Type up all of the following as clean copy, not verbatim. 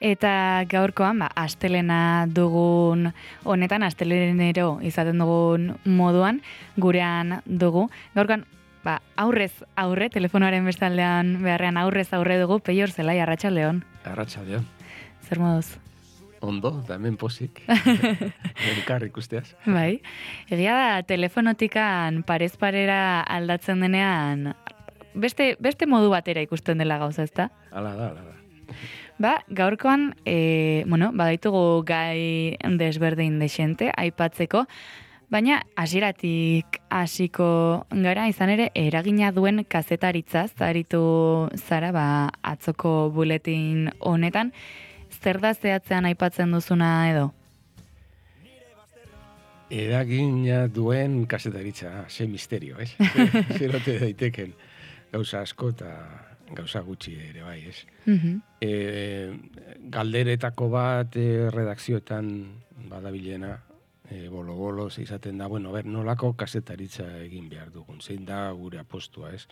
Eta gaurkoan, astelena dugun honetan, astelenero izaten dugun moduan, gurean dugu. Gaurkoan, aurrez aurre, telefonoaren bestaldean beharrean aurrez aurre dugu, Peior Zelai, arratsaldeon. Arratsaldeon. Zer moduz? Ondo, da hemen pozik. Elkar ikusteaz. Bai, egia da telefonotikan parez parera aldatzen denean, beste modu batera ikusten dela gauza, ezta? Hala da. Gaurkoan, badaitugu gai desberdin dexente, aipatzeko, baina hasieratik hasiko gara, izan ere, eragina duen kazetaritzaz, aritu zara, atzoko buletin honetan, zer da zehatzean aipatzen duzuna edo? Eragina duen kazetaritza, ze misterio, ez? Zerote daiteken gauza asko eta gauza gutxi ere, bai, ez? Galderetako bat redakzioetan badabilena, bolo-bolo, izaten da, nolako kazetaritza egin behar dugun, zein da gure apostua, ez?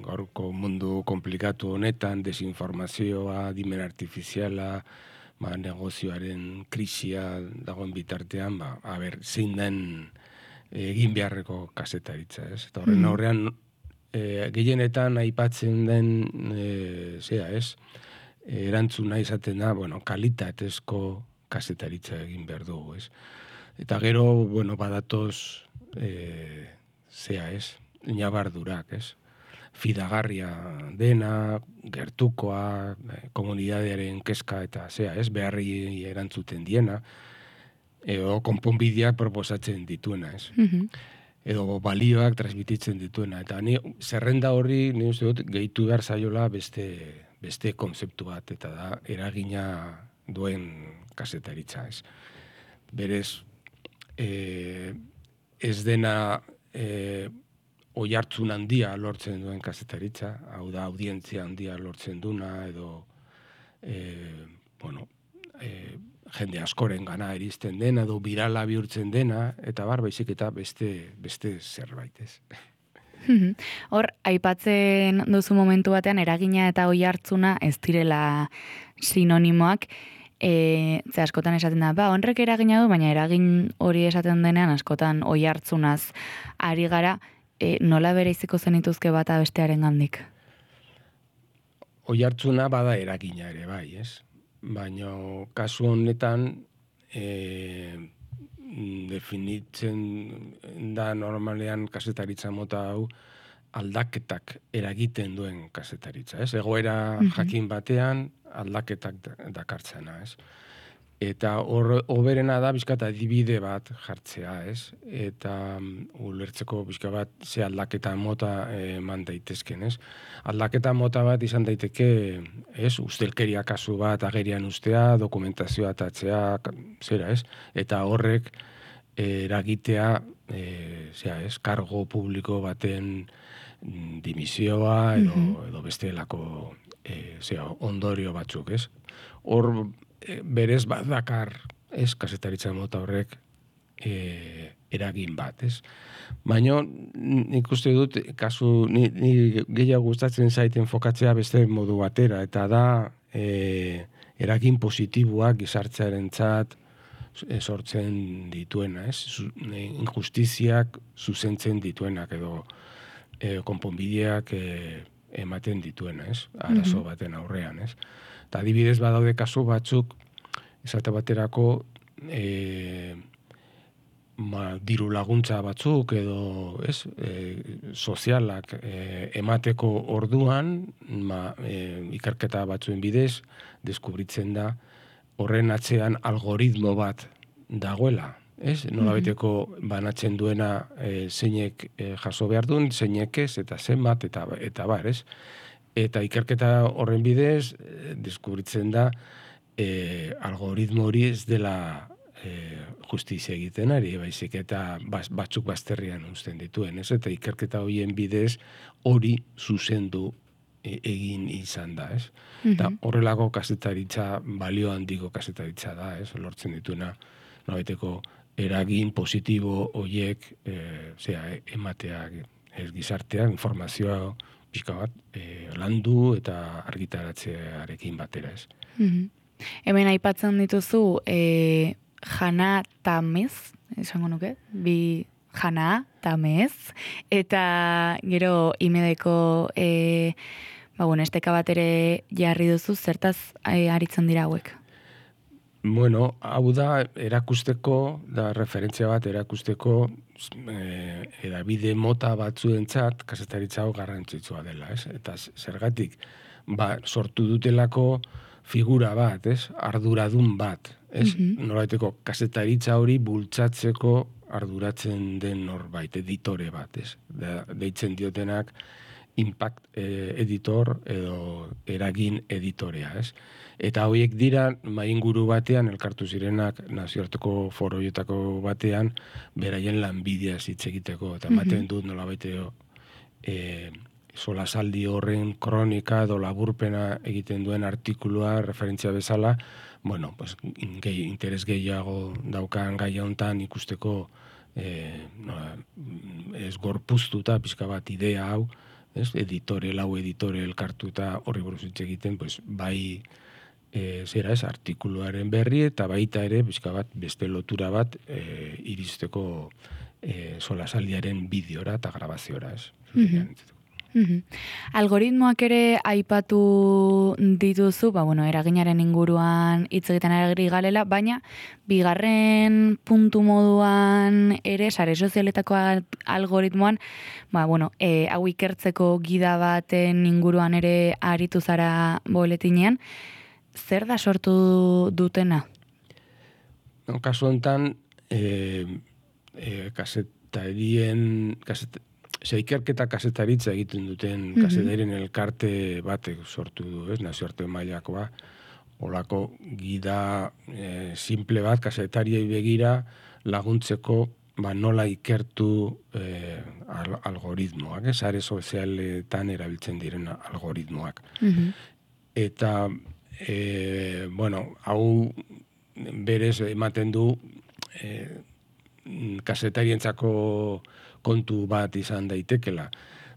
Gaurko mundu komplikatu honetan, desinformazioa, dimen artifiziala, negozioaren krisia dagoen bitartean, zein den egin beharreko kazetaritza, ez? Eta horren aurrean, gehienetan aipatzen den, erantzuna izaten da, kalitatezko kazetaritza egin behar dugu, ez? Eta gero, badatoz, ñabardurak, ez? Fidagarria dena, gertukoa, komunidadearen kezka eta beharri erantzuten diena, edo konponbideak proposatzen dituena, ez? Edo balioak transmititzen dituena. Eta zerrenda horri, ni uste dut, gehitu behar zaiola beste konzeptu bat, eta da, eragina duen kazetaritza, ez? Berez, ez dena oihartzun handia lortzen duen kazetaritza, hau da, audientzia handia lortzen duna, edo, jende askoren gana iristen dena, edo birala bihurtzen dena, eta baizik eta beste zerbait, ez. Hor, aipatzen duzu momentu batean, eragina eta oihartzuna ez direla sinonimoak, ze askotan esaten da, honrek eragina du, baina eragin hori esaten denean askotan oihartzunaz ari gara, nola bereiziko zenituzke bata bestearen gandik? Oihartzuna bada eragina ere, bai, ez? Baina kasu honetan definitzen da normalean kazetaritza mota hau aldaketak eragiten duen kazetaritza, ez? Egoera jakin batean aldaketak dakartzena, ez? Eta hoberena da bizkat adibide bat jartzea, ez? Eta ulertzeko bizka bat ze aldaketa mota eman daitezken, ez? Aldaketa mota bat izan daiteke, ez? Ustelkeria kasu bat agerian ustea, dokumentazioa atatzea, zera, ez? Eta horrek eragitea, kargo publiko baten dimisioa edo bestelako ondorio batzuk, ez? Hor berez bat dakar, ez, kazetaritza mota horrek eragin bat, ez? Baina nik uste dut, kasu, ni gehiago gustatzen zaiten fokatzea beste modu batera, eta da eragin positiboak gizartearentzat sortzen dituena, ez? Injustiziak zuzentzen dituenak edo konponbideak ematen dituena, ez? Arazo baten aurrean, ez? Eta adibidez badaude kasu batzuk, esate baterako diru laguntza batzuk edo sozialak emateko orduan, ikerketa batzuen bidez, deskubritzen da horren atzean algoritmo bat dagoela. Nolabiteko banatzen duena zeinek jaso behar duen, zeinek ez, eta zenbat, eta bar, ez? Eta ikerketa horren bidez, deskubritzen da, algoritmo hori ez dela justizia egiten ari, baizik eta batzuk bazterrian uzten dituen, ez? Eta ikerketa horien bidez hori zuzendu egin izan da, ez? Eta horrelako kazetaritza, balio handiko kazetaritza da, ez? Lortzen dituena, nolabaiteko eragin positibo horiek ematea gizartean, informazioa pixka bat, landu eta argitaratzearekin batera, ez. Hemen aipatzen dituzu, jana tamez, esango nuke, bi jana tamez, eta gero imedeko esteka bat ere jarri duzu, zertaz aritzen dira hauek? Bueno, hau da erakusteko, da referentzia bat erakusteko edabide mota batzuentzat kazetaritza hau garrantzitsua dela, ez? Eta zergatik, sortu dutelako figura bat, ez? Arduradun bat, ez? Nolabaiteko kazetaritza hori bultzatzeko arduratzen den norbait, editore bat, ez? Deitzen diotenak impact editor edo eragin editorea, ez? Eta horiek dira, mainguru batean, elkartu zirenak nazioarteko foroietako batean, beraien lanbidea hitz egiteko, eta ematen dut nolabaiteo solasaldi horren kronika edo laburpena egiten duen artikulua referentzia bezala, bueno, pues, interes gehiago daukan gai hontan ikusteko ez gorpuztuta pixka bat idea hau, lau editore elkartuta horri buruz hitz egiten, pues, bai artikuluaren berri eta baita ere pixka bat beste lotura bat iristeko solasaldiaren bideora eta grabaziora, ez. Algoritmoak ere aipatu dituzu, eraginaren inguruan hitz egiten ari galela, baina bigarren puntu moduan ere sare sozialetako algoritmoan, hau ikertzeko gida baten inguruan ere aritu zara boletinean, zer da sortu dutena? Kasu honetan, ikerketa kazetaritza egiten duten kazetarien elkarte batek sortu du, nazioarte mailakoa, olako gida simple bat kazetariei begira laguntzeko nola ikertu algoritmoak, sare sozialetan erabiltzen diren algoritmoak. Eta hau berez ematen du kazetarientzako kontu bat izan daitekela.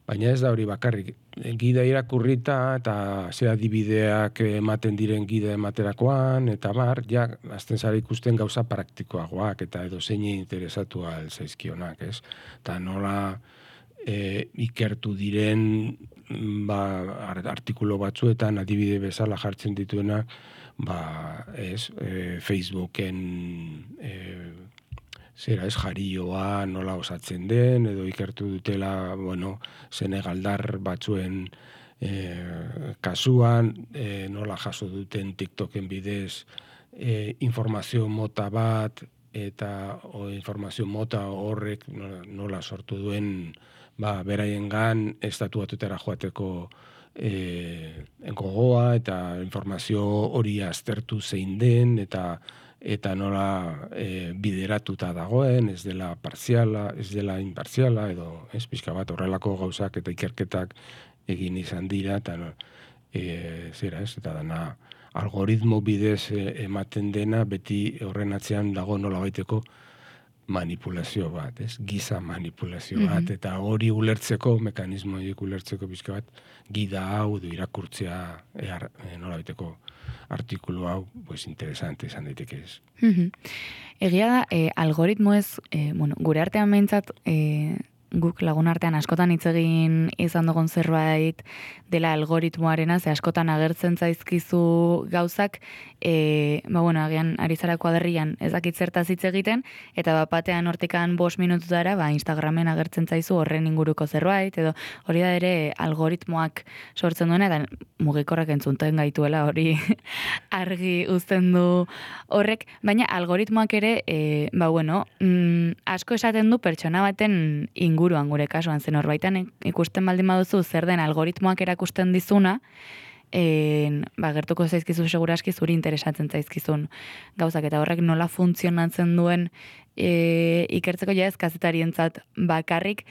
Baina ez da hori bakarrik. Gida irakurrita eta ze adibideak ematen diren gida ematerakoan, eta azten zara ikusten gauza praktikoagoak eta edo zein interesatua zaizkionak, ez? Eta nola ikertu diren artikulo batzuetan adibide bezala jartzen dituena Facebooken jarioa nola osatzen den, edo ikertu dutela senegaldar batzuen kasuan, nola jaso duten TikToken bidez informazio mota bat, eta informazio mota horrek nola sortu duen beraiengan estatu batutara joateko gogoa, eta informazio hori aztertu zein den, eta nola bideratuta dagoen, ez dela partziala, ez dela impartziala, edo pixka bat horrelako gauzak eta ikerketak egin izan dira, eta eta dana algoritmo bidez ematen dena, beti horren atzean dago nola baiteko manipulazio bat, giza manipulazio bat, eta hori ulertzeko, mekanismo horiek ulertzeko pixka bat, gida hau du irakurtzea nola baiteko artikulu hau, interesante izan daiteke ez. Egia da, algoritmo ez, gure artean behintzat, guk lagun artean askotan hitz egin izan dugun zerbait dela algoritmoarena, ze askotan agertzen zaizkizu gauzak, agian ari zara kuaderrian ez dakit zertaz hitz egiten, eta batean hortikan 5 minututara, Instagramen agertzen zaizu horren inguruko zerbait, edo hori da ere algoritmoak sortzen duena, eta mugikorrak entzunten gaituela hori argi uzten du horrek, baina algoritmoak ere, asko esaten du pertsona baten inguruan gure kasuan, zen horbaitan ikusten baldin baduzu zer den algoritmoak erakusten dizuna, gertuko zaizkizu seguraski zuri interesatzen zaizkizun gauzak, eta horrek nola funtzionatzen duen ikertzeko ez kazetarientzat bakarrik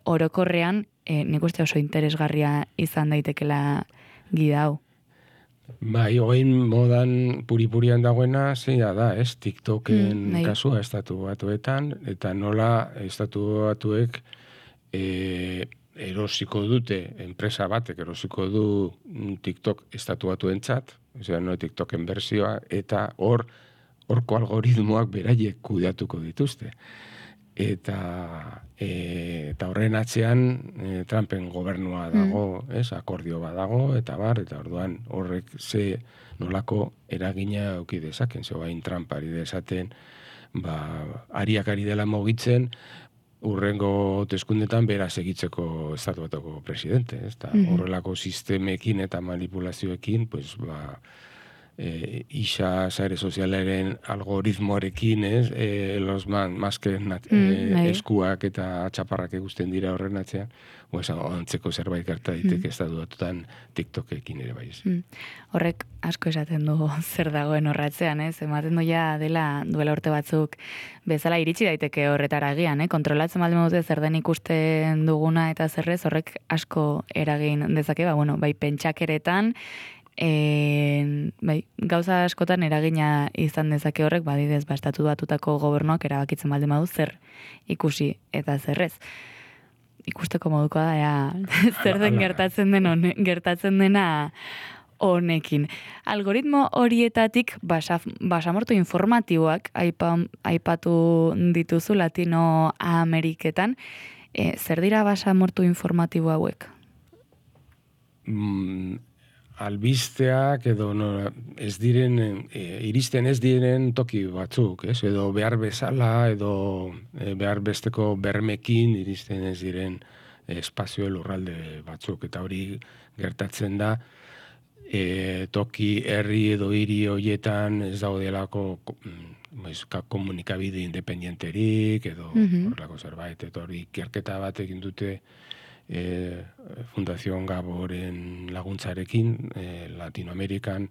orokorrean nik uste oso interesgarria izan daitekela gida hau. Oin modan puri-purian dagoena zeina da, TikToken kasua estatu batuetan, eta nola estatu batuek erosiko dute, enpresa batek erosiko du TikTok estatu batuentzat, osea, no TikToken bersioa, eta horko algoritmoak beraiek kudeatuko dituzte. Eta horren atzean Trumpen gobernua dago, akordio badago, eta orduan horrek ze nolako eragina eduki dezaken, bain Trump ari dezaten, ariak ari dela mugitzen, urrengo hauteskundetan bera segitzeko estatu batuko presidente, horrelako sistemekin eta manipulazioekin, pues, isa sare sozialaren algoritmoarekin, los masken eskuak eta txaparrak egusten dira horren atzean, antzeko zerbait gerta daiteke estatu batutan TikTokekin ere bai. Horrek asko esaten du zer dagoen horratzean, ematen doia duela urte batzuk bezala iritsi daiteke horretara agian, kontrolatzen baldin dute zer den ikusten duguna eta zerrez, horrek asko eragin dezake, bai pentsakeretan, gauza askotan eragina izan dezake horrek, badidez, estatu batutako gobernuak erabakitzen baldin badu zer ikusi eta zerrez. Ikusteko moduko da, zer den gertatzen dena honekin. Algoritmo horietatik basamortu informatiboak aipatu dituzu Latinoameriketan. Zer dira basamortu informatibo hauek? Albisteak edo iristen ez diren toki batzuk, edo behar bezala, edo behar besteko bermekin iristen ez diren espazio lurralde batzuk, eta hori gertatzen da toki herri edo hiri horietan ez daudelako komunikabide independenterik edo horrelako zerbait, eta hori ikerketa bat egin dute Fundación Gaboren laguntzarekin Latinoamerikan,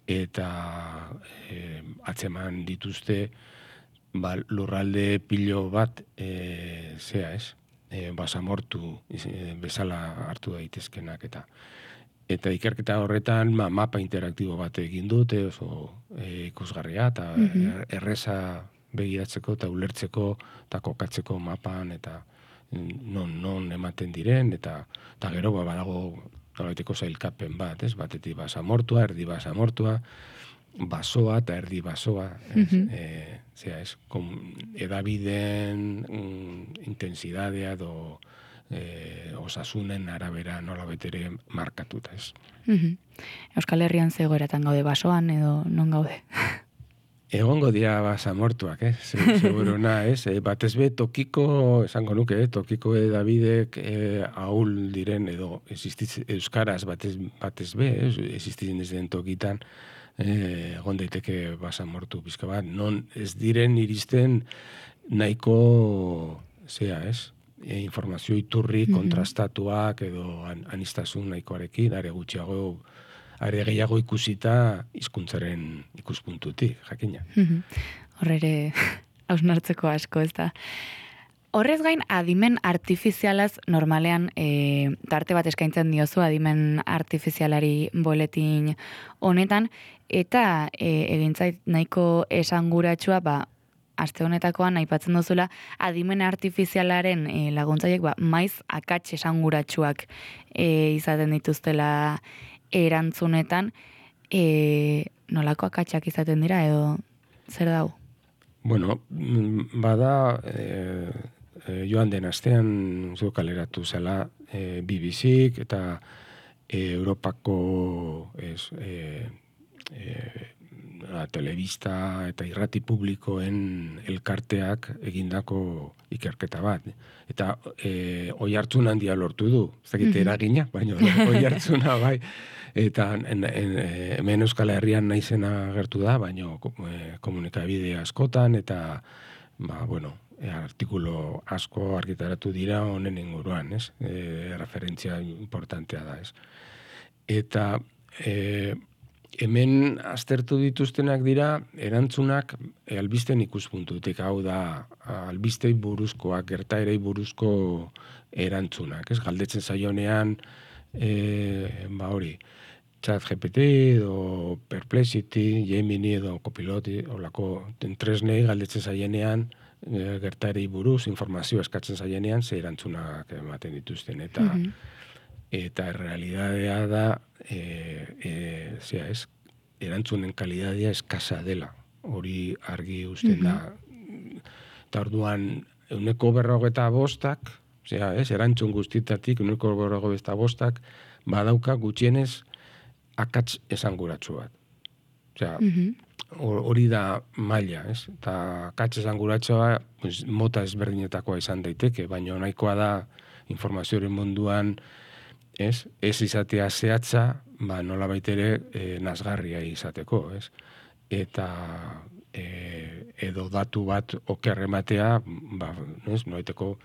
eta atzeman dituzte lurralde pilo bat basamortu bezala hartu daitezkenak, eta ikerketa horretan mapa interaktibo bat egin dute, oso ikusgarria eta erreza begiratzeko eta ulertzeko eta kokatzeko mapan, eta non ematen diren, eta gero badago nolabaiteko zailkapen bat, batetik basamortua, erdi basamortua, basoa eta erdi basoa, edabideen intensidadea edo osasunen arabera nolabaitere markatuta, Euskal Herrian zegoeratan gaude basoan edo non gaude? Egongo dira basamortuak, seguruna, batez be tokiko, esango nuke, tokiko edabidek ahul diren edo euskaraz batez be, existitzen ez den tokitan, egon daiteke basamortu pizka bat, non ez diren iristen nahiko, informazio iturri kontrastatuak edo anistasun nahikoarekin, are gehiago ikusita hizkuntzaren ikuspuntutik, jakina. Horrere hausnartzeko asko, ez da. Horrez gain, adimen artifizialaz normalean tarte bat eskaintzen diozu adimen artifizialari boletin honetan, eta egintzait nahiko esanguratsua, aste honetakoan aipatzen duzula adimen artifizialaren laguntzaiek maiz akats esanguratsuak izaten dituztela erantzunetan, nolako akatsak izaten dira edo zer dago? Bueno, bada joan den astean zu kaleratu zela BBC-k eta Europako telebista eta irrati publikoen elkarteak egindako ikerketa bat. Eta oihartzun handia lortu du. Ez dakit eragina, baina oihartzuna bai. Eta hemen Euskal Herrian naizena gertu da, baina komunikabide askotan, eta artikulo asko argitaratu dira honen inguruan, referentzia importantea da, Eta hemen aztertu dituztenak dira erantzunak albisten ikuspuntutik, hau da albistei buruzkoak, gertaerei buruzko erantzunak, galdetzen zaionean hori, ChatGPT edo Perplexity, Gemini edo Copilot, olako tresnei galdetzen zaienean, gertari buruz, informazio eskatzen zaienean, ze erantzunak ematen dituzten, eta realidadea da, erantzunen kalidadea eskasa dela, hori argi usten da. Eta orduan, 155, erantzun guztitatik, 155 badauka gutxienez akats esanguratsu bat. Hori da maila, ez? Eta akats esanguratsua mota ezberdinetakoa izan daiteke, baina nahikoa da informazioaren munduan, ez izatea zehatza, nolabait ere nazgarria izateko, ez? Eta edo datu bat oker ematea, nolaiteko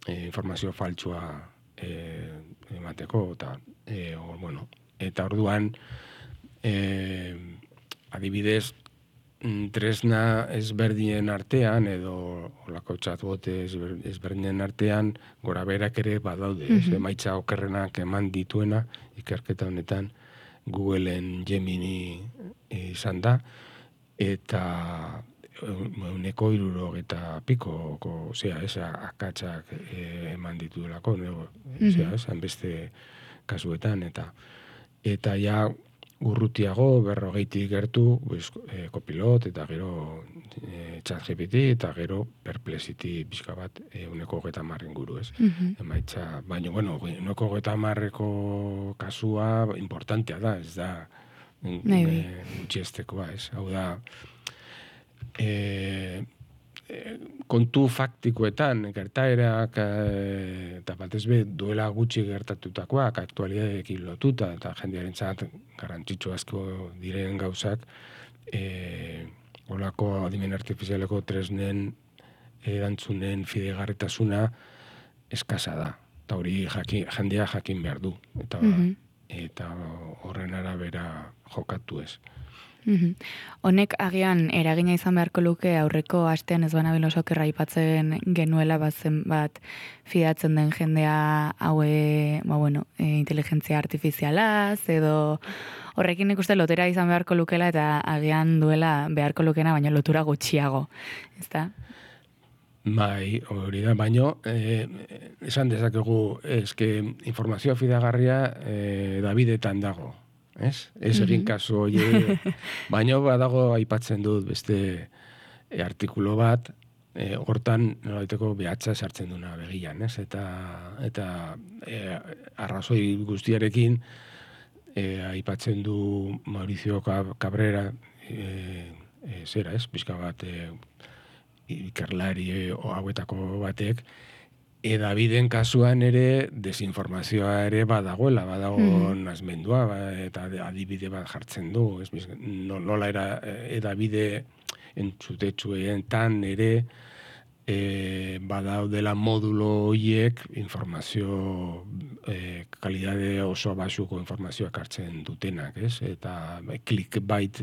informazio faltsua emateko, eta orduan, adibidez, tresna ezberdinen artean, edo olako chatbot ezberdinen artean, gora berak ere badaude, emaitza okerrenak eman dituena, ikerketa honetan, Googleen Gemini izan da, eta 160 pikoko, akatsak eman dituelako, beste kasuetan, eta ja urrutiago, 40 gertu, Copilot, eta gero ChatGPT, eta gero Perplexity pixka bat 130 inguru, ez? Emaitza, baina, 130ko kasua importantea da, ez da gutxiestekoa, ez? Hau da, kontu faktikoetan, gertaerak, eta batez be, duela gutxi gertatutakoak, aktualidadeekin lotuta, eta jendearentzat garrantzitsu asko diren gauzak, olako adimen artifizialeko tresnen erantzunen fidegarritasuna eskasa da. Eta hori jendea jakin behar du. Eta horren arabera jokatu ez. Honek agian eragina izan beharko luke aurreko astean ez banabil oso okerra aipatzen genuela bazen bat fidatzen den jendea haue, inteligentzia artifizialaz edo horrekin ikuste lotera izan beharko lukela eta agian duela beharko lukena baina lotura gutxiago, ezta? Bai, hori da, baino, esan dezakegu, informazioa fidagarria Davidetan dago. Ez egin kasu hori, baina badago aipatzen dut beste artikulo bat, hortan nolaiteko behatza sartzen duna begian, ez? Eta arrazoi guztiarekin aipatzen du Mauricio Cabrera, pixka bat ikerlari hauetako batek, Daviden kasuan ere desinformazioa ere badago nazmendua, eta adibide bat jartzen du. Nola era Davide entzutetsuetan ere badaudela modulo horiek informazio kalidade oso basuko informazioak hartzen dutenak, ez? Eta clickbait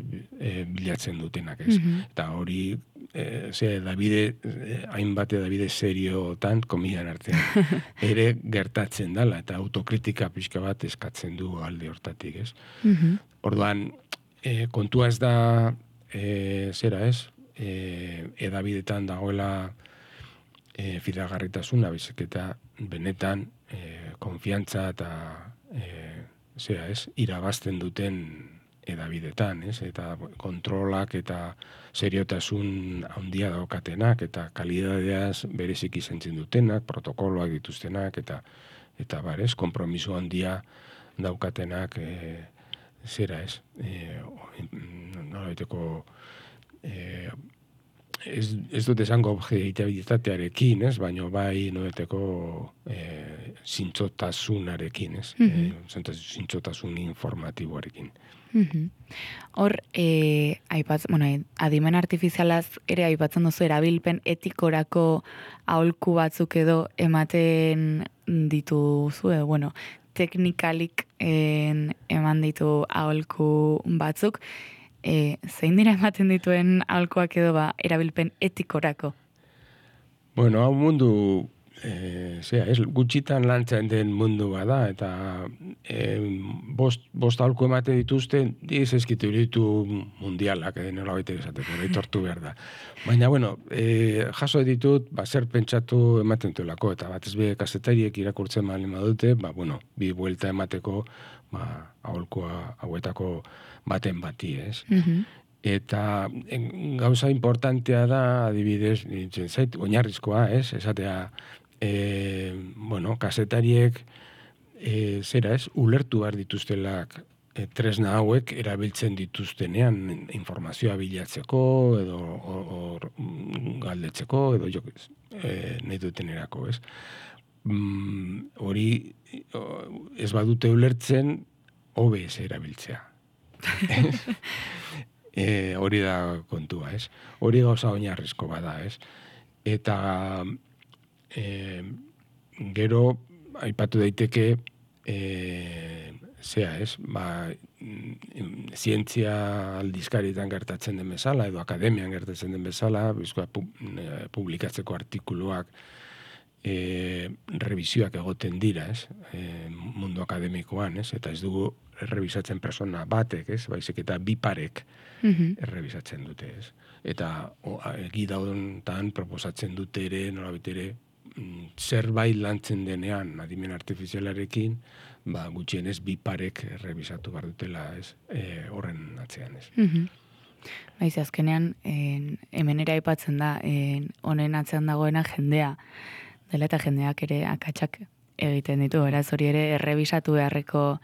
bilatzen dutenak, ez? Eta hori hainbat Davide seriotan, komian artean, ere gertatzen dela, eta autokritika pixka bat eskatzen du alde hortatik, ez? Orduan, kontua ez da, Davidetan dagoela fidagarritasuna, bizik eta benetan konfiantza eta irabazten duten Davidetan, eta kontrolak eta seriotasun handia daukatenak, eta kalidadeaz bereziki zentzen dutenak, protokoloak dituztenak, eta konpromiso handia daukatenak, nolabaiteko ez dut esango objektibitatearekin, baina bai nolabaiteko zintzotasunarekin, zintzotasun informatiboarekin. Hor, adimen artifizialaz ere aipatzen duzu erabilpen etikorako aholku batzuk edo ematen dituzu, teknikalik eman ditu aholku batzuk, zein dira ematen dituen aholkuak edo erabilpen etikorako? Hau mundu gutxitan lantzen den mundu bada, eta bost aholku emate dituzte, ez ezkitu ditu mundialak, nola baita esateko, aitortu behar da. Baina, bueno, jaso ditut, zer pentsatu ematen duelako, eta batez be kazetariek irakurtzen malin badute, bueno, bi buelta emateko, aholkua hauetako baten bati, ez? Eta gauza importantea da, adibidez, nintzen zait, oinarrizkoa, ez? Esatea, kazetariek ulertu behar dituztelak tresna hauek erabiltzen dituztenean informazioa bilatzeko edo galdetzeko edo nahi dutenerako, ez? Hori ez badute ulertzen hobe ez erabiltzea. Hori da kontua, ez? Hori gauza oinarrizko bada, ez? Eta gero aipatu daiteke zientzia aldizkaritan gertatzen den bezala edo akademian gertatzen den bezala, publikatzeko artikuluak revisioak egoten dira, ez? Mundu akademikoan, ez? Eta ez dugu errebisatzen persona batek, ez? Baizik eta bi parek errebisatzen dute, ez? Eta gidaudentan proposatzen dute ere, nolabait ere, zerbait lantzen denean adimen artifizialarekin, gutxienez bi parek errebisatu behar dutela, ez? Horren atzean, ez? Baiz, azkenean, hemen ere aipatzen da, honen atzean dagoena jendea, dela eta jendeak ere akatsak egiten ditu, beraz hori ere errebisatu beharreko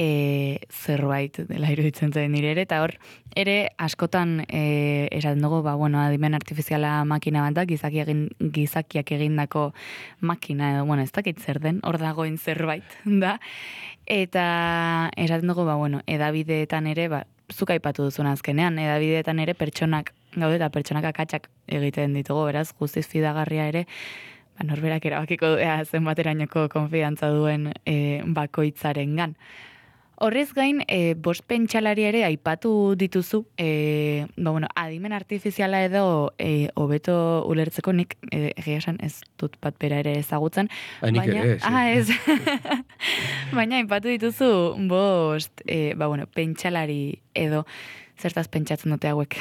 zerbait dela iruditzen zen nire ere, eta hor ere askotan esaten dugu, adimen artifiziala makina bat da, gizakiak egindako makina edo, ez dakit zer den, hor dagoen zerbait da, eta esaten dugu, edabideetan ere, zuk aipatu duzun azkenean, edabideetan ere pertsonak gaude eta pertsonak akatsak egiten ditugu, beraz guztiz fidagarria ere, norberak erabakiko zenbaterainoko konfidantza duen bakoitzarengan. Horrez gain, bost pentsalari ere aipatu dituzu, adimen artifiziala edo hobeto ulertzeko nik egia esan ez dut bat bera ere ezagutzen. Nik ere, ez. Baina aipatu dituzu bost, pentsalari edo zertaz pentsatzen dute hauek.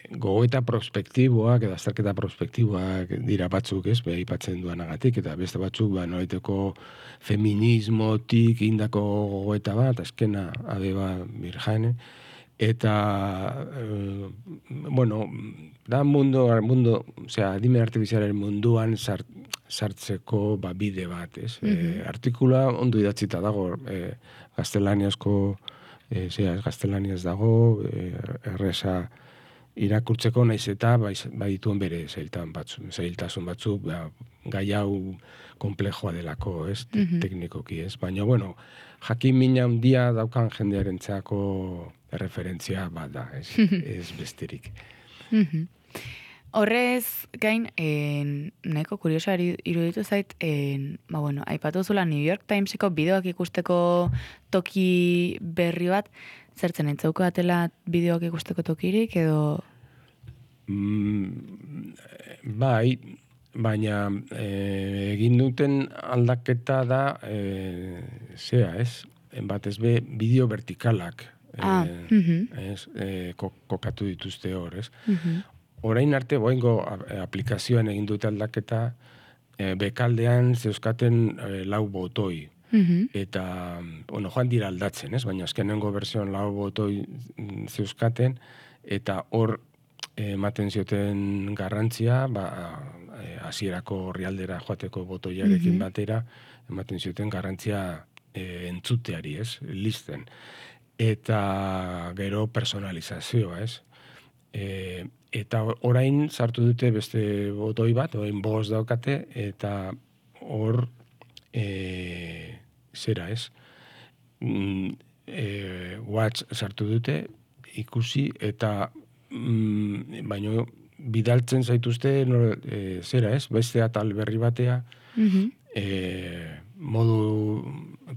Gogoeta prospektiboak edo azterketa prospektiboak dira batzuk, ez, aipatzen duanagatik, eta beste batzuk, nolaiteko feminismotik indako gogoeta bat, azkena Abeba Birjane, eta, da adimen artifizialaren munduan sartzeko bide bat, ez. Artikula ondo idatzita dago, gaztelaniazko, gaztelaniaz dago, erresa irakurtzeko naiz eta badituen bere zailtasun batzuk, gai hau konplejoa delako, ez, teknikoki, ez. Baina, jakin mina handia daukan jendearentzako erreferentzia bat da, ez besterik. Horrez gain, nahiko kuriosoa iruditu zait, aipatu zula New York Timeseko bideoak ikusteko toki berri bat, zertzen entzauko atela bideoak ikusteko tokirik, edo? Bai, baina egin duten aldaketa da, batez be, bideo vertikalak kokatu dituzte hor, ez? Orain arte, boengo aplikazioan egin dute aldaketa, bekaldean zeuzkaten 4 botoi. Eta, joan dira aldatzen, ez? Baina azkenengo bertsioan 4 botoi zeuzkaten, eta hor ematen zioten garrantzia, hasierako orrialdera joateko botoiarekin batera, ematen zioten garrantzia entzuteari, ez? Listen. Eta gero personalizazioa, ez? Eta orain sartu dute beste botoi bat, orain 5 daukate, eta hor zera, ez? Watch sartu dute, ikusi, eta baino bidaltzen zaituzte zera, ez? Beste atal berri batea, modu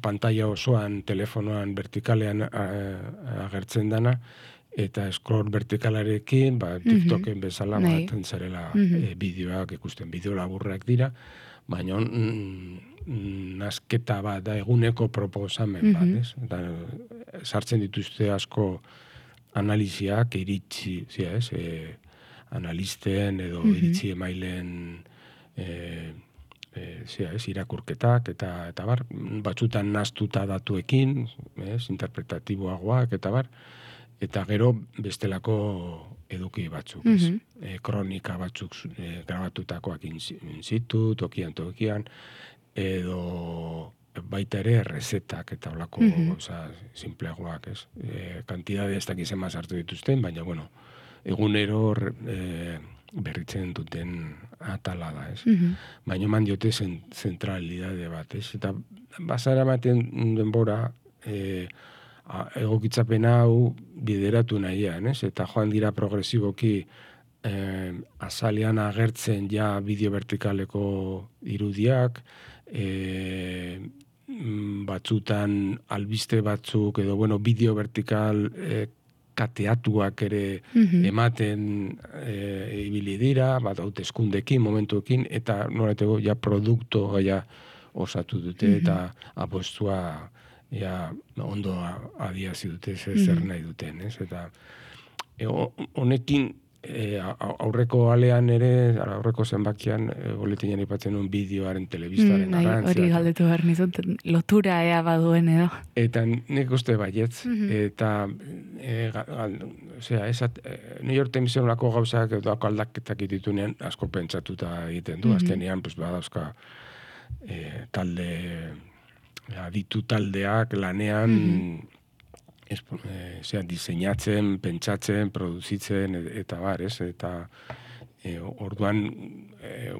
pantalla osoan, telefonoan, vertikalean agertzen dana, eta scroll vertikalarekin, TikToken bezala baten zarela bideoak ikusten, bideo laburrak dira, baina nasketa bat da, eguneko proposamen bat, ez? Eta sartzen dituzte asko analiziak, iritzi, ez? Analisten edo iritzi emailen irakurketak eta bar, batzutan nahastuta datuekin, interpretatiboagoak eta bar, eta gero bestelako eduki batzuk, kronika batzuk grabatutakoak in situ, tokian, edo baita ere rezetak eta olako simpleagoak, ez? Kantidade ez dakizen sartu dituzten, baina, bueno, egunero berritzen duten atala da, ez? Baina eman diote zentralidade bat, ez? Eta bazara ematen denbora egokitzapen hau bideratu nahian, ez? Eta joan dira progresiboki azalean agertzen ja bideo vertikaleko irudiak, batzutan albiste batzuk edo, bueno, bideo vertikal kateatuak ere ematen ibili dira, bat hauteskundekin, momentuekin, eta norateko ja produktu ja osatu dute, eta apostua ja ondo adiazi dute zer nahi duten, ez? Eta honekin aurreko alean ere, aurreko zenbakian boletinen aipatzen nuen bideoaren telebistaren garrantzia. Hori galdetu behar nizun, lotura ea baduen edo. Eta nik uste baietz, eta New York Timesen olako gauzak edo aldaketak ditunean asko pentsatuta egiten du, azkenean badauzka talde, aditu taldeak lanean diseinatzen, pentsatzen, produzitzen, eta bar, ez? Eta orduan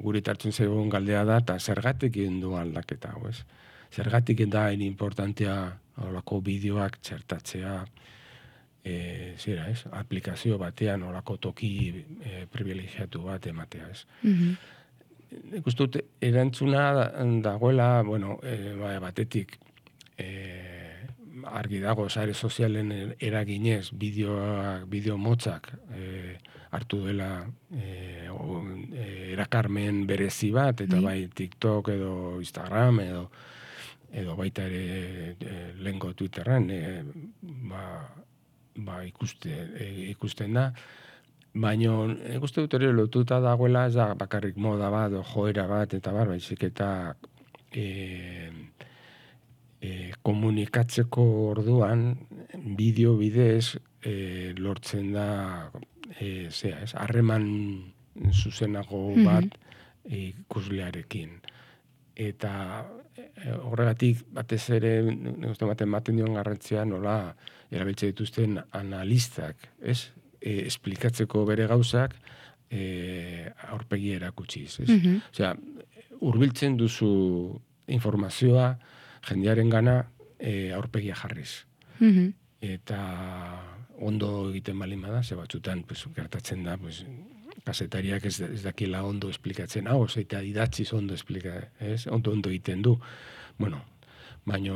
gure tartzen zegoen galdea da, eta zergatik egin du aldaketa, ez? Zergatik da importantea olako bideoak txertatzea, aplikazio batean olako toki privilegiatu bat ematea, ez? Nik uste dut, erantzuna dagoela, bueno, batetik, argi dago, sare sozialen eraginez, bideo motzak hartu dela erakarmen berezi bat, eta bai TikTok edo Instagram edo baita ere lehengo Twitterren ikusten da, baina ikuste dut ere lotuta dagoela, ez da bakarrik moda bat, joera bat, eta bar, baizik eta komunikatzeko orduan bideo bidez lortzen da harreman zuzenago bat ikuslearekin. Eta horregatik batez ere ematen dion garrantzia nola erabiltzen dituzten analistak, ez? Esplikatzeko bere gauzak aurpegi erakutsiz, ez? Osea, hurbiltzen duzu informazioa jendearen gana aurpegia jarriz. Eta ondo egiten balin bada, ze batzutan gertatzen da, kazetariak ez dakila ondo esplikatzen, eta idatziz ondo ez? Ondo egiten du. Bueno, baina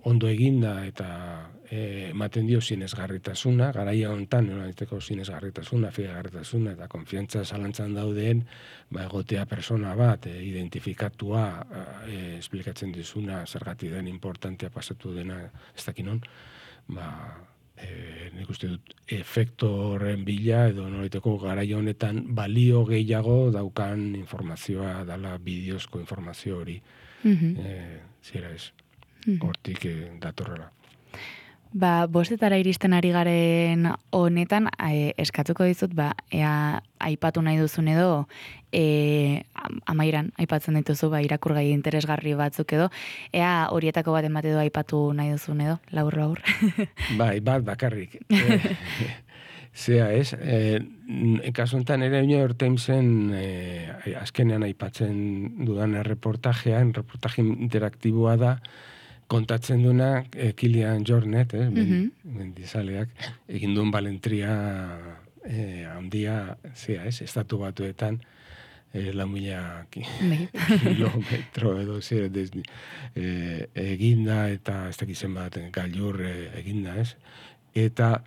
ondo eginda eta ematen dio sinesgarritasuna, garaia hontan, sinesgarritasuna, fidagarritasuna eta konfiantza zalantzan daudeen, egotea persona bat, identifikatua, esplikatzen dizuna, zergatik den importantea pasatu dena, ez dakinon, nik uste dut efekto horren bila, edo nolaiteko garaia honetan balio gehiago daukan informazioa, dala bideozko informazio hori. Zira ez, hortik datorrela. Bostetara iristen ari garen honetan, eskatuko dizut, ea aipatu nahi duzun edo, amairan aipatzen dituzu, irakurgai interesgarri batzuk edo, ea horietako bat emate edo aipatu nahi duzun edo, labur. Bat bakarrik. Zea ez, kasu enten ere New York Timesen azkenean aipatzen dudan reportaje interaktiboa da, kontatzen duna Kilian Jornet, mendizaleak, egin duen balentria handia, zea ez, estatu batuetan, 4.000 kilometro edo eginda, eta ez dakizen bat gailur eginda, ez? Eta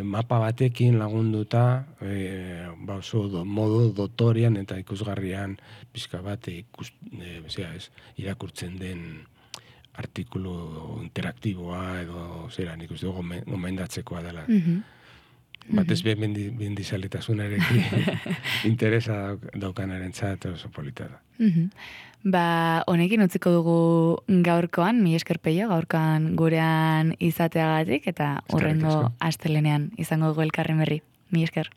mapa batekin lagunduta, oso modu dotorian eta ikusgarrian pixka bat irakurtzen den artikulu interaktiboa edo zera, nik uste gomendatzekoa dela. Batez bendizalitasunarekin interesa daukanarentzat oso polita da. Honekin utziko dugu gaurkoan, mi esker Peio, gaurkoan gurean izateagatik, eta hurrengo astelenean izango dugu elkarren berri. Mi esker.